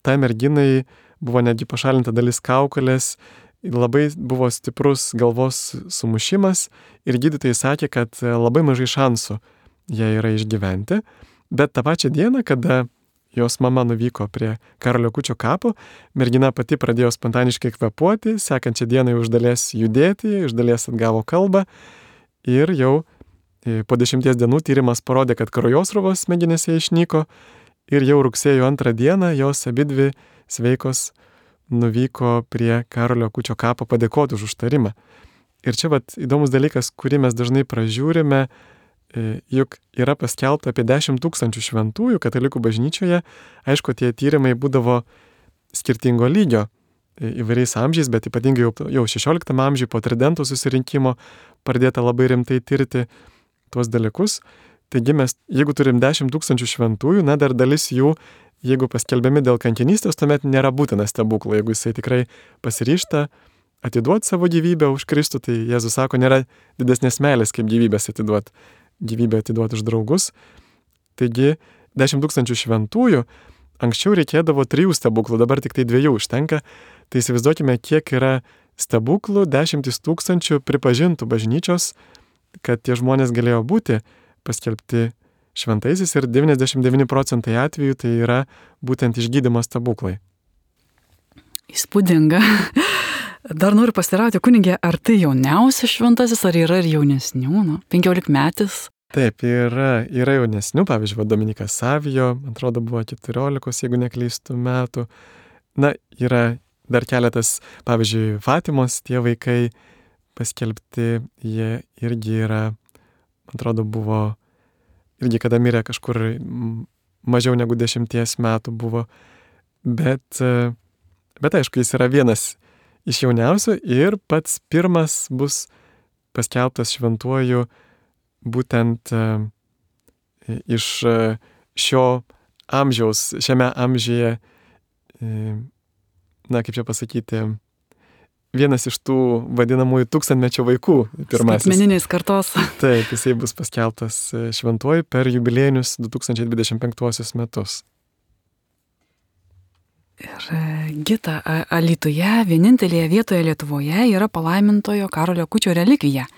Tai merginai buvo netgi pašalinta dalis kaukolės, labai buvo stiprus galvos sumušimas ir gydytojai sakė, kad labai mažai šansų jai yra išgyventi. Bet tą pačią dieną, kada jos mama nuvyko prie Karolio Akučio kapo, mergina pati pradėjo spontaniškai kvėpuoti, sekančią dieną jau iš dalies judėti, iš dalies atgavo kalbą ir jau po dešimties dienų tyrimas parodė, kad kraujosruvos smegenyse išnyko ir jau rugsėjo antrą dieną jos abidvi sveikos nuvyko prie Karolio Akučio kapo padėkoti už užtarimą. Ir čia vat įdomus dalykas, kurį mes dažnai pražiūrime, juk yra paskelbta apie dešimt tūkstančių šventųjų katalikų bažnyčioje. Aišku, tie tyrimai būdavo skirtingo lygio įvairiais amžiais, bet ypatingai jau, jau šešioliktam amžiui po Tridento susirinkimo pradėta labai rimtai tirti tuos dalykus. Taigi mes, jeigu turim dešimt tūkstančių šventųjų, na dar dalis jų, jeigu paskelbiami dėl kankinystės, tuomet nėra būtina stebuklo. Jeigu jisai tikrai pasiryžta atiduoti savo gyvybę už Kristų, tai Jėzus sako, nėra didesnės meilės kaip gyvybės atiduoti, gyvybę atiduoti už draugus. Taigi dešimt tūkstančių šventųjų, anksčiau reikėdavo trijų stebuklų, dabar tik tai dviejų užtenka. Tai įsivaizduokime, kiek yra stebuklų, dešimtis tūkstančių pripažintų bažnyčios, kad tie žmonės galėjo būti paskelbti šventaisiais ir devyniasdešimt devyni procentai atvejų tai yra būtent išgydymo stebuklai. Įspūdinga. Dar noriu pasiteirauti, kunigė, ar tai jauniausias šventasis, ar yra ir jaunesnių, nu, penkiolikmetis? Taip, yra, yra jaunesnių, pavyzdžiui, Dominikas Savijo, man atrodo, buvo keturiolikos, jeigu neklystu, metų. Na, yra dar keletas, pavyzdžiui, Fatimos tie vaikai paskelbti, jie irgi yra, man atrodo, buvo, irgi kada mirė kažkur mažiau negu dešimties metų buvo, bet, bet aišku, jis yra vienas iš jauniausių ir pats pirmas bus paskelbtas šventuoju būtent iš šio amžiaus, šiame amžiuje, na, kaip čia pasakyti, vienas iš tų vadinamųjų tūkstantmečio vaikų pirmasis. Skaitmeninės kartos. Taip, jisai bus paskelbtas šventuoju per jubiliejinius du tūkstančiai dvidešimt penktuosius metus. Ir Gita, Alytuje, vienintelėje vietoje Lietuvoje yra palaimintojo Karolio Akučio relikvija.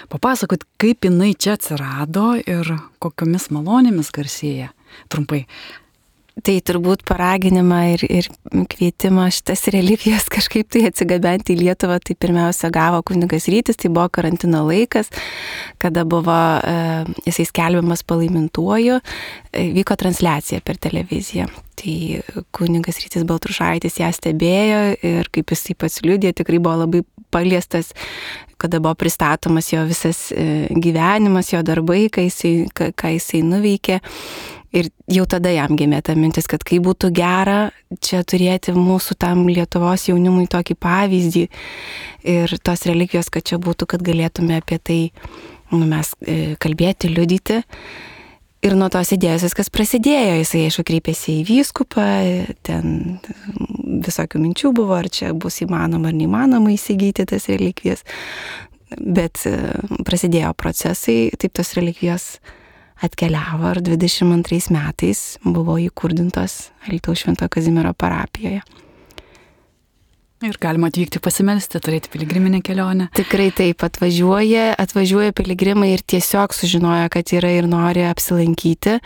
Papasakot, kaip jinai čia atsirado ir kokiomis malonėmis garsėja. Trumpai. Tai turbūt paraginimą ir, ir kvietimą šitas relikvijas kažkaip tai atsigabenti į Lietuvą, tai pirmiausia gavo kunigas Rytis, tai buvo karantino laikas, kada buvo e, jisai skelbiamas palaimintuoju, e, vyko transliacija per televiziją. Tai kunigas Rytis Baltrušaitis ją stebėjo ir kaip jisai pats liudija, tikrai buvo labai paliestas, kada buvo pristatomas jo visas e, gyvenimas, jo darbai, ką jisai, ką, ką jisai nuveikė. Ir jau tada jam gimė ta mintis, kad kaip būtų gera čia turėti mūsų tam Lietuvos jaunimui tokį pavyzdį ir tos relikvijos, kad čia būtų, kad galėtume apie tai nu, mes kalbėti, liudyti. Ir nuo tos idėjos viskas prasidėjo. Jisai, aišku, kreipėsi į vyskupą, ten visokių minčių buvo, ar čia bus įmanoma ar neįmanoma įsigyti tas relikvijas. Bet prasidėjo procesai, taip tos relikvijos atkeliavo ir dvidešimt antrais metais buvo įkurdintos Alytaus Švento Kazimiero parapijoje. Ir galima atvykti pasimelsti, turėti piligriminę kelionę. Tikrai taip, atvažiuoja, atvažiuoja piligrimai ir tiesiog sužinoja, kad yra ir nori apsilankyti.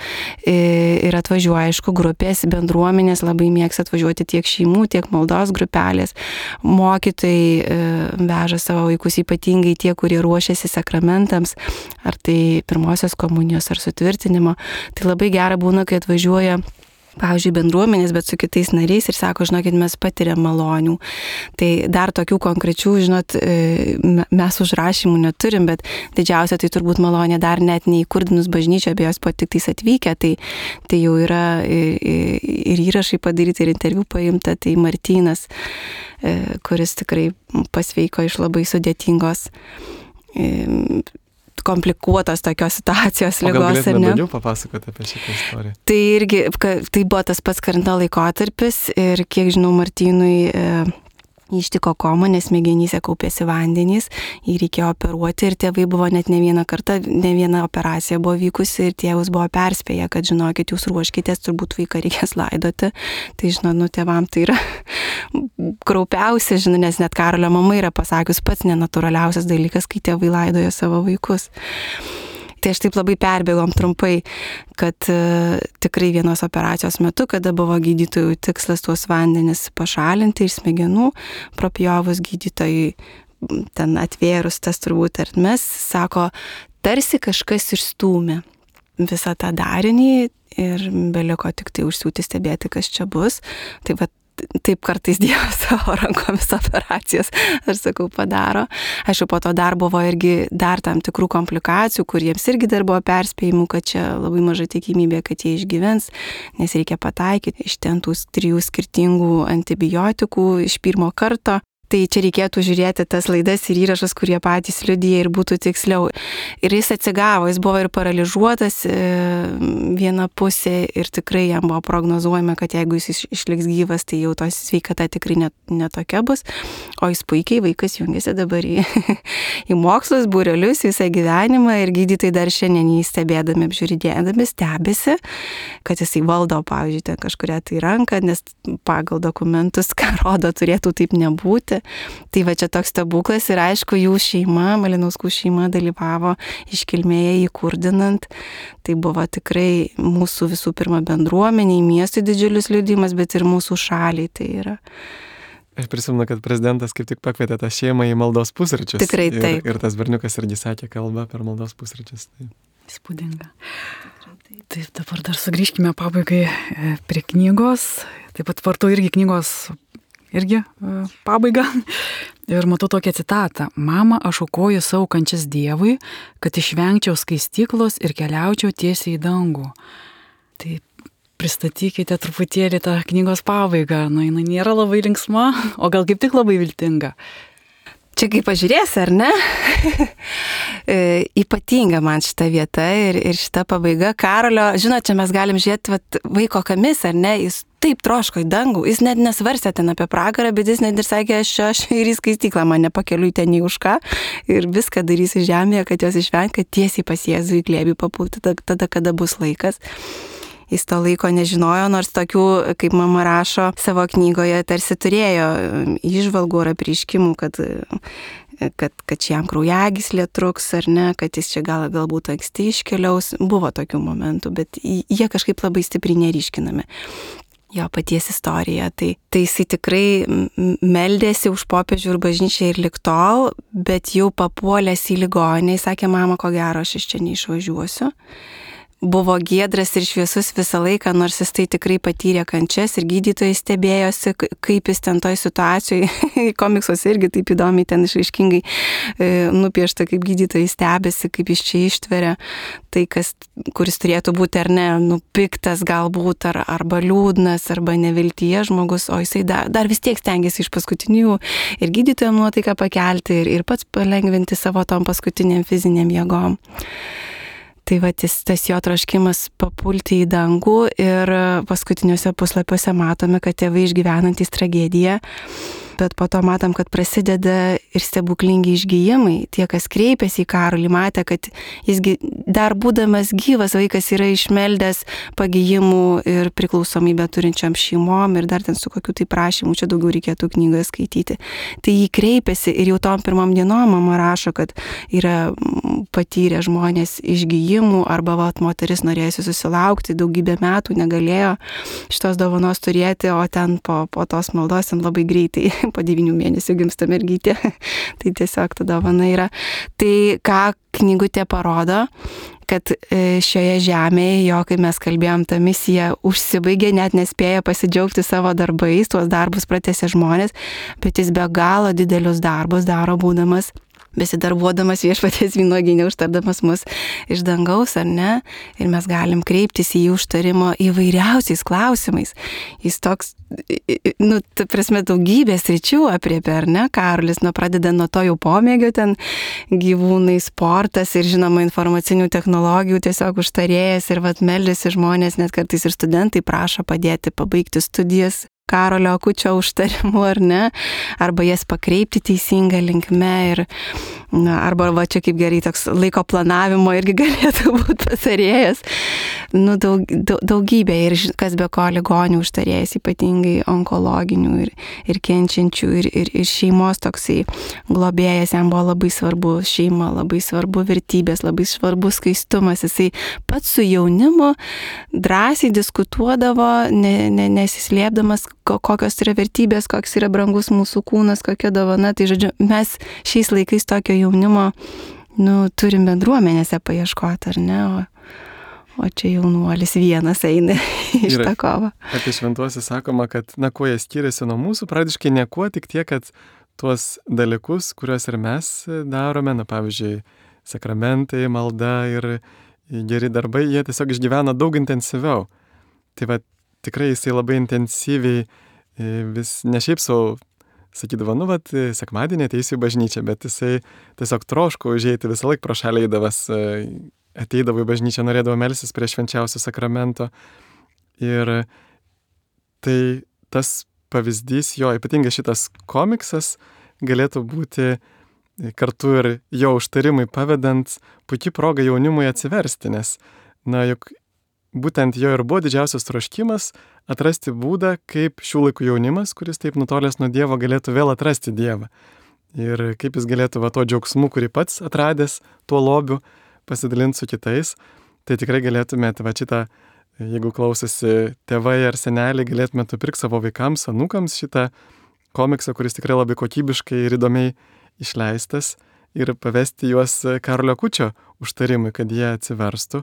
Ir atvažiuoja, aišku, grupės, bendruomenės, labai mėgsta atvažiuoti tiek šeimų, tiek maldos grupelės. Mokytojai veža savo vaikus, ypatingai tie, kurie ruošiasi sakramentams, ar tai pirmosios komunijos, ar sutvirtinimo. Tai labai gera būna, kai atvažiuoja pavyzdžiui, bendruomenės, bet su kitais nariais ir sako, žinokit, mes patiriam malonių. Tai dar tokių konkrečių, žinot, mes užrašymų neturim, bet didžiausia tai turbūt malonė dar net neįkurdinus bažnyčią, be jos po tik tais atvykę, tai, tai jau yra ir įrašai padaryti, ir interviu paimta, tai Martynas, kuris tikrai pasveiko iš labai sudėtingos komplikuotos tokios situacijos ligos. O gal galėtume daugiau papasakoti apie šitą istoriją? Tai irgi, tai buvo tas pats karantino laikotarpis ir kiek žinau, Martynui e, ištiko koma, nes smegenyse kaupėsi vandenys, jį reikėjo operuoti ir tėvai buvo net ne vieną kartą, ne viena operacija buvo vykusi ir tėvus buvo perspėję, kad žinokit, jūs ruoškitės, turbūt vaiką reikės laidoti. Tai žinot, nu tėvam tai yra kraupiausia, žinot, nes net Karolio mama yra pasakius pats nenatūraliausias dalykas, kai tėvai laidoja savo vaikus. Tai aš taip labai perbėgom trumpai, kad uh, tikrai vienos operacijos metu, kada buvo gydytojų tikslas tuos vandenis pašalinti iš smegenų, propjovus gydytojai ten atvėrus tas turbūt ertmes, sako, tarsi kažkas išstūmė visą tą darinį ir beliko tik tai užsiūti stebėti, kas čia bus. Tai va, taip kartais Dievas savo rankomis operacijas, aš sakau, padaro. Aišku, po to dar buvo irgi dar tam tikrų komplikacijų, kur jiems irgi dar buvo perspėjimų, kad čia labai maža tikimybė, kad jie išgyvens, nes reikia pataikyti iš ten tų trijų skirtingų antibiotikų iš pirmo karto. Tai čia reikėtų žiūrėti tas laidas ir įrašas, kurie patys liudija ir būtų tiksliau. Ir jis atsigavo, jis buvo ir paralyžiuotas viena pusė ir tikrai jam buvo prognozuojama, kad jeigu jis išliks gyvas, tai jau tos sveikata tikrai net, netokia bus. O jis puikiai, vaikas jungiasi dabar į, į mokslus, būrelius visą gyvenimą ir gydytojai dar šiandien jį stebėdami, apžiūrėdami, stebisi, kad jisai valdo, pavyzdžiui, ten kažkuria tai ranką, nes pagal dokumentus, ką rodo, turėtų taip nebūti. Tai va čia toks stebuklas ir aišku, jų šeima, Malinauskų šeima dalyvavo iškilmėje įkurdinant. Tai buvo tikrai mūsų visų pirma bendruomeniai, miestui didžiulis liudijimas, bet ir mūsų šaliai tai yra. Aš prisimenu, kad prezidentas kaip tik pakvietė tą šeimą į maldos pusryčius. Tikrai taip. Ir, ir tas berniukas irgi sakė kalbą per maldos pusryčius. Taip. Įspūdinga. Taip, dabar dar sugrįžkime pabaigai prie knygos. Taip pat vartu irgi knygos irgi pabaiga. Ir matau tokią citatą. Mama, aš aukoju savo kančias Dievui, kad išvengčiau skaistyklos ir keliaučiau tiesiai į dangų. Tai pristatykite truputėlį tą knygos pabaigą. Na, jinai nėra labai linksma, o gal kaip tik labai viltinga. Čia kaip pažiūrėsi, ar ne? e, ypatinga man šita vieta ir, ir šita pabaiga. Karolio, žinot, čia mes galim žiūrėti vat, vaiko kamis, ar ne? Jis taip troško į dangų. Jis net nesvarstė ten apie pragarą, bet jis net ir sakė, aš, aš ir į skaistyklą mane pakeliu ten į už ką ir viską darysiu žemėje, kad jos išvengti, kad tiesiai pas Jėzų į glėbį papulti tada, tada, kada bus laikas. Jis to laiko nežinojo, nors tokių, kaip mama rašo savo knygoje, tarsi turėjo įžvalgų ar apreiškimų, kad, kad, kad šiam kraujagyslė truks ar ne, kad jis čia gal, galbūt anksti iškeliaus. Buvo tokių momentų, bet jie kažkaip labai stipriai neryškinami. Jo paties istorija. Tai, tai jisai tikrai meldėsi už popiežių ir bažnyčią ir lig tol, bet jau papuolęs į ligoninę, jis sakė, mama, ko gero, aš iš čia neišvažiuosiu. Buvo giedras ir šviesus visą laiką, nors jis tai tikrai patyrė kančias ir gydytojai stebėjosi, kaip jis ten toj situacijoje, komiksuose irgi taip įdomiai ten išraiškingai e, nupiešta, kaip gydytojai stebėsi, kaip jis čia ištveria, tai kas, kuris turėtų būti ar ne, nupiktas galbūt, ar, arba liūdnas, arba neviltyje žmogus, o jisai dar, dar vis tiek stengiasi iš paskutinių ir gydytojams nuotaiką pakelti ir, ir pats palengvinti savo tom paskutiniam fiziniam jėgom. Tai va, tas jo troškimas papulti į dangų ir paskutiniuose puslapiuose matome, kad tėvai išgyvenantys tragediją, bet po to matom, kad prasideda ir stebuklingi išgijimai. Tie, kas kreipėsi į Karolį, matė, kad jis dar būdamas gyvas vaikas yra išmeldęs pagijimų ir priklausomybę turinčiam šeimom ir dar ten su kokiu tai prašymu, čia daugiau reikėtų knygoje skaityti. Tai jį kreipėsi ir jau tom pirmom dienom mama rašo, kad yra patyrę žmonės išgijimų arba vat, moteris norėjusi susilaukti, daugybę metų negalėjo šitos dovanos turėti, o ten po, po tos maldos ten labai greitai po devynių mėnesių gimsta mergytė. Tai tiesiog ta dovana yra. Tai ką knygutė parodo, kad šioje žemėje, jo, kai mes kalbėjom, ta misija užsibaigė, net nespėja pasidžiaugti savo darbais, tuos darbus pratęsė žmonės, bet jis be galo didelius darbus daro būdamas besidarbuodamas viešpaties vynuogyne, užtardamas mus iš dangaus, ar ne? Ir mes galim kreiptis į jį užtarimo įvairiausiais klausimais. Jis toks, nu, ta prasme, daugybės ryčių apriepia, ar ne? Karolis, nu, pradeda nuo to jau pomėgio, ten gyvūnai, sportas ir, žinoma, informacinių technologijų tiesiog užtarėjas ir vat meldėsi žmonės, net kartais ir studentai prašo padėti pabaigti studijas Karolio Akučio užtarimu, ar ne, arba jas pakreipti teisingą linkme ir, na, arba va čia kaip gerai toks laiko planavimo irgi galėtų būti patarėjas. Nu, daug, daug, daugybė ir kas be ko ligonių užtarėjas, ypatingai onkologinių ir, ir kenčiančių ir, ir, ir šeimos toksai globėjas, jam buvo labai svarbu šeima, labai svarbu vertybės, labai svarbu skaistumas. Jisai pats su jaunimu drąsiai diskutuodavo, ne, ne, nesislėpdamas, kokios yra vertybės, koks yra brangus mūsų kūnas, kokia dovana. Tai žodžiu, mes šiais laikais tokio jaunimo, nu, turim bendruomenėse paieškoti, ar ne? O, O čia jaunuolis vienas eina iš tą kovą. Apie šventuosius sakoma, kad, na, kuo jie skiriasi nuo mūsų, praktiškai niekuo, tik tiek, kad tuos dalykus, kuriuos ir mes darome, na, pavyzdžiui, sakramentai, malda ir geri darbai, jie tiesiog išgyvena daug intensyviau. Tai va, tikrai jisai labai intensyviai vis ne šiaip savo sakydavo, nu, vat, sekmadienį ateisiu į bažnyčią, bet jisai tiesiog troško užeiti visą laiką pro šalį eidavas, ateidavo į bažnyčią, norėdavo melstis prie švenčiausio sakramento. Ir tai tas pavyzdys, jo, ypatingai šitas komiksas galėtų būti kartu ir jo užtarimui pavedant puikiai proga jaunimui atsiversti, nes, na, juk būtent jo ir buvo didžiausias troškimas atrasti būdą, kaip šių laikų jaunimas, kuris taip nutolęs nuo Dievo, galėtų vėl atrasti Dievą. Ir kaip jis galėtų va to džiaugsmu, kurį pats atradęs, tuo lobiu, pasidalinti su kitais. Tai tikrai galėtumėte va šitą, jeigu klausosi tėvai ar seneliai, galėtumėte pirkti savo vaikams, anūkams šitą komiksą, kuris tikrai labai kokybiškai ir įdomiai išleistas, ir pavesti juos Karolio Akučio užtarimui, kad jie atsiverstų.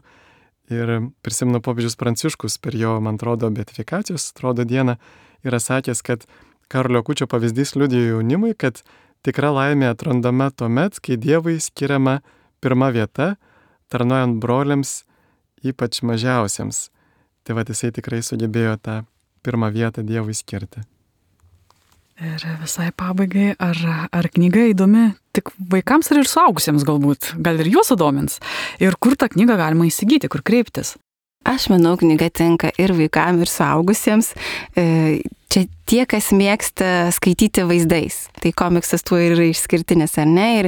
Ir prisimenu popiežius Pranciškus per jo, man atrodo, beatifikacijos, atrodo, dieną yra sakęs, kad Karolio Akučio pavyzdys liudijo jaunimui, kad tikra laimė atrandama tuomet, kai Dievui skiriama pirma vieta, tarnaujant broliams, ypač mažiausiems. Tai va, jisai tikrai sugebėjo tą pirmą vietą Dievui skirti. Ir visai pabaigai, ar, ar knyga įdomi tik vaikams ar ir suaugusiems galbūt, gal ir juos sudomins? Ir kur tą knygą galima įsigyti, kur kreiptis? Aš manau, knyga tinka ir vaikams, ir suaugusiems. Čia tie, kas mėgsta skaityti vaizdais. Tai komiksas tuo yra išskirtinis, ar ne? Ir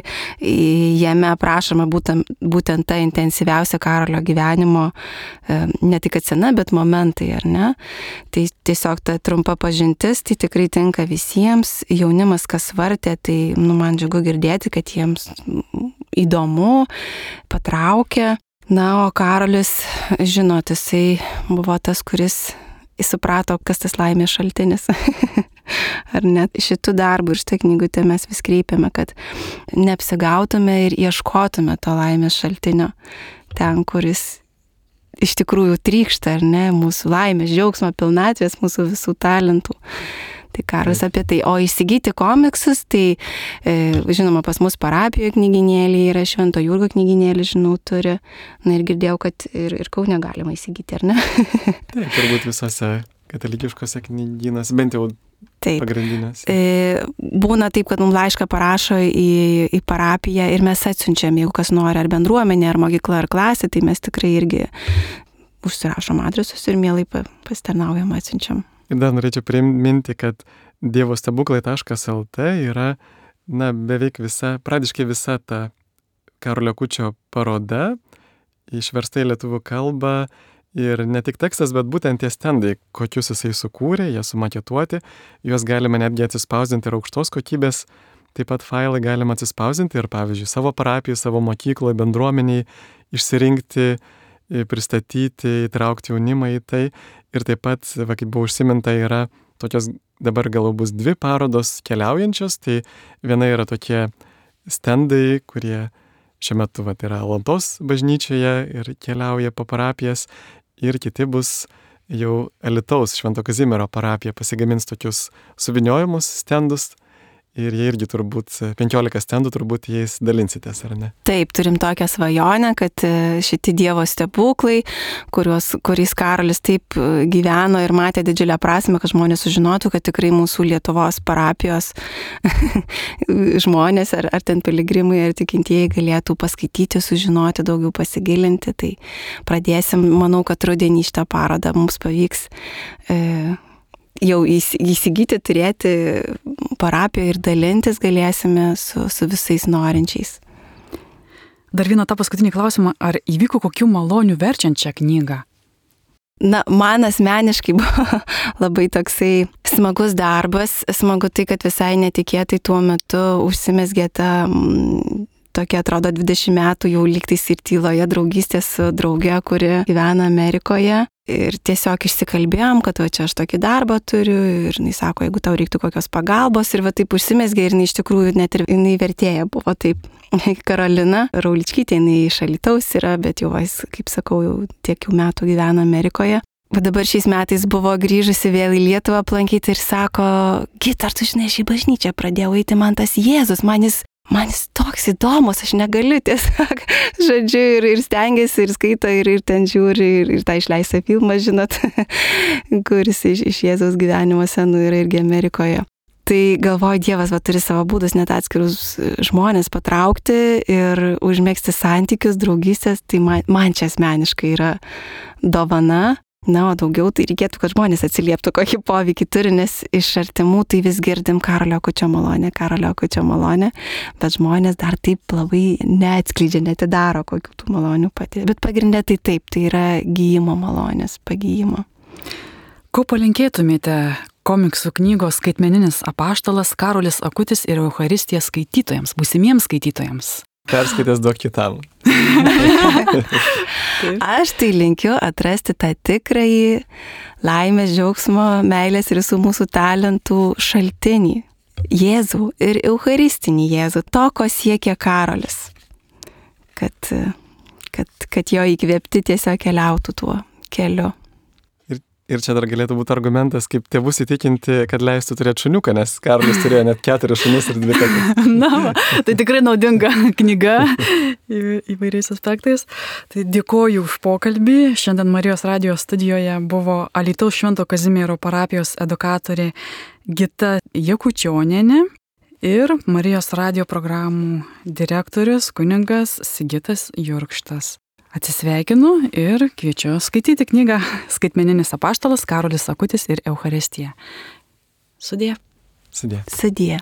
jame aprašoma būtent, būtent ta intensyviausia Karolio gyvenimo, ne tik scena, bet momentai, ar ne? Tai tiesiog ta trumpa pažintis, tai tikrai tinka visiems. Jaunimas, kas vartė, tai nu, man džiugu girdėti, kad jiems įdomu, patraukia. Na, o Karolis, žinot, jisai buvo tas, kuris suprato, kas tas laimės šaltinis. Ar net šitų darbų ir šitą knygutę mes vis kreipiame, kad neapsigautume ir ieškotume to laimės šaltinio ten, kuris iš tikrųjų trykšta, ar ne, mūsų laimės, džiaugsmo, pilnatvės, mūsų visų talentų. Tai Karolis apie tai. O įsigyti komiksus, tai e, žinoma, pas mus parapijoje knyginėlį yra, Švento Jurgio knyginėlį, žinau, turi. Na ir girdėjau, kad ir, ir Kaune galima įsigyti, ar ne? Taip, turbūt visose katalikiškose knygynuose, bent jau taip, pagrindinės. E, būna taip, kad mums laišką parašo į, į parapiją ir mes atsiunčiam, jeigu kas nori, ar bendruomenė, ar mokykla, ar klasė, tai mes tikrai irgi užsirašom adresus ir mielai pasitarnaujam, atsiunčiam. Ir dar norėčiau priminti, kad dievo stebuklai taškas el tė yra, na, beveik visa, pradiškai visa ta Karolio Akučio paroda, išversta į lietuvių kalbą ir ne tik tekstas, bet būtent tie stendai, kokius jisai sukūrė, jie sumaketuoti, juos galima netgi atsispausdinti ir aukštos kokybės, taip pat failai galima atsispausdinti ir, pavyzdžiui, savo parapijai, savo mokykloje, bendruomeniai išsirinkti, pristatyti, įtraukti jaunimą į tai. Ir taip pat, va, kaip buvo užsiminta, yra tokios, dabar gal bus dvi parodos keliaujančios, tai viena yra tokie stendai, kurie šiuo metu va, yra Alantos bažnyčioje ir keliauja po parapijas, ir kiti bus jau Alytaus Švento Kazimiero parapija pasigamins tokius suviniojimus stendus. Ir jie irgi turbūt, penkiolika stendų turbūt jais dalinsitės, ar ne? Taip, turim tokią svajonę, kad šitie Dievo stebuklai, kuriuos, kuriais Karolis taip gyveno ir matė didžiulę prasmę, kad žmonės sužinotų, kad tikrai mūsų Lietuvos parapijos žmonės, ar, ar ten piligrimai, ar tikintieji galėtų paskaityti, sužinoti, daugiau pasigilinti. Tai pradėsim, manau, kad rudenį šitą parodą mums pavyks e, jau įsigyti, turėti parapiją ir dalintis galėsime su, su visais norinčiais. Dar vieną tą paskutinį klausimą, ar įvyko kokių malonių verčiant šią knygą? Na, man asmeniškai buvo labai toksai smagus darbas, smagu tai, kad visai netikėtai tuo metu užsimezgė ta tokia, atrodo, dvidešimt metų jau lygtais ir tyloje draugystė su drauge, kuri gyvena Amerikoje. ir tiesiog išsikalbėjom, kad va čia aš tokį darbą turiu ir jinai sako, jeigu tau reiktų kokios pagalbos ir va taip užsimesgė ir jinai iš tikrųjų net ir jinai vertėja buvo taip. Karolina Rauličkytė, jinai iš Alytaus yra, bet jau, kaip sakau, jau tiek jau metų gyvena Amerikoje. O dabar šiais metais buvo grįžusi vėl į Lietuvą aplankyti ir sako, Gita, ar tu žinai, aš į bažnyčią pradėjau eiti, man tas Jėzus, man jis, man jis toks įdomus, aš negaliu tiesiog, žodžiu, ir, ir stengiasi, ir skaito, ir, ir ten žiūri, ir, ir tą išleistą filmą, žinot, kuris iš, iš Jėzaus gyvenimo senų yra irgi Amerikoje. Tai galvoju, Dievas va, turi savo būdus net atskirus žmonės patraukti ir užmėgsti santykius, draugystės, tai man, man čia asmeniškai yra dovana. Na, o daugiau tai reikėtų, kad žmonės atsilieptų, kokį poveikį turi, nes iš artimų tai vis girdim Karolio Akučio malonę, Karolio Akučio malonę, bet žmonės dar taip labai neatskleidžia, netidaro kokių tų malonių pati. Bet pagrindė tai taip, tai yra gyjimo malonės, pagyjimo. Ko palinkėtumėte komiksų knygos Skaitmeninis apaštalas Karolis Akutis ir Eucharistija skaitytojams, būsimiems skaitytojams? Perskaitęs duok kitam. Aš tai linkiu atrasti tą tikrąjį laimės, džiaugsmo, meilės ir visų mūsų talentų šaltinį. Jėzų ir Eucharistinį Jėzų, to, ko siekia Karolis. Kad, kad, kad jo įkvėpti tiesiog keliautų tuo keliu. Ir čia dar galėtų būti argumentas, kaip tėvus įtikinti, kad leistų turėti šuniuką, nes Karolis turėjo net keturis šunis ir dvi katės. Na, tai tikrai naudinga knyga įvairiais aspektais. Tai dėkoju už pokalbį. Šiandien Marijos radijo studijoje buvo Alytaus Švento Kazimiero parapijos edukatorė Gita Jakučionienė ir Marijos radijo programų direktorius kunigas Sigitas Jurkštas. Atsisveikinu ir kviečiu skaityti knygą Skaitmeninis apaštalas Karolis Akutis ir Eucharistija. Sudie. Sudie. Sudie.